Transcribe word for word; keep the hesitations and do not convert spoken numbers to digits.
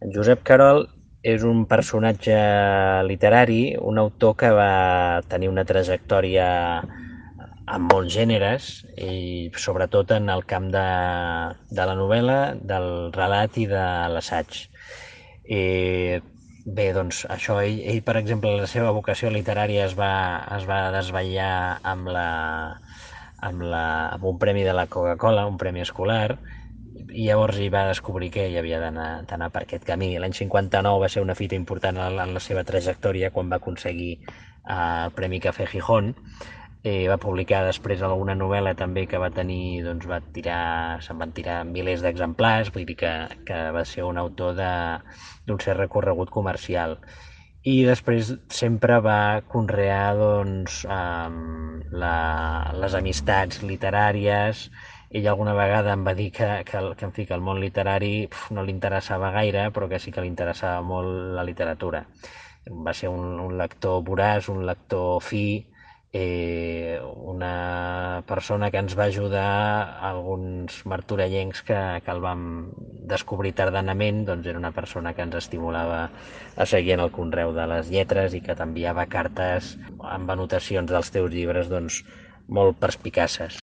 En Josep Carol és un personatge literari, un autor que va tenir una trajectòria en molts gèneres i sobretot en el camp de, de la novel·la, del relat i de l'assaig. I bé, doncs això, ell, ell, per exemple, la seva vocació literària es va, es va desvetllar amb, la, amb, la, amb un premi de la Coca-Cola, un premi escolar, i llavors hi va descobrir que hi havia d'anar per aquest camí. L'any cinquanta-nou va ser una fita important en la seva trajectòria quan va aconseguir eh, el Premi Café Gijón. Eh, va publicar després alguna novel·la també que va tenir, doncs va tirar, se'n van tirar milers d'exemplars, vull dir que, que va ser un autor d'un cert recorregut comercial. I després sempre va conrear doncs, um, la, les amistats literàries. Ell alguna vegada em va dir que, que, que, en fi, que el món literari pf, no li interessava gaire, però que sí que li interessava molt la literatura. Va ser un, un lector voraç, un lector fi, eh, una persona que ens va ajudar, alguns martorellencs que, que el vam descobrir tardanament, doncs era una persona que ens estimulava a seguir en el conreu de les lletres i que t'enviava cartes amb anotacions dels teus llibres doncs, molt perspicaces.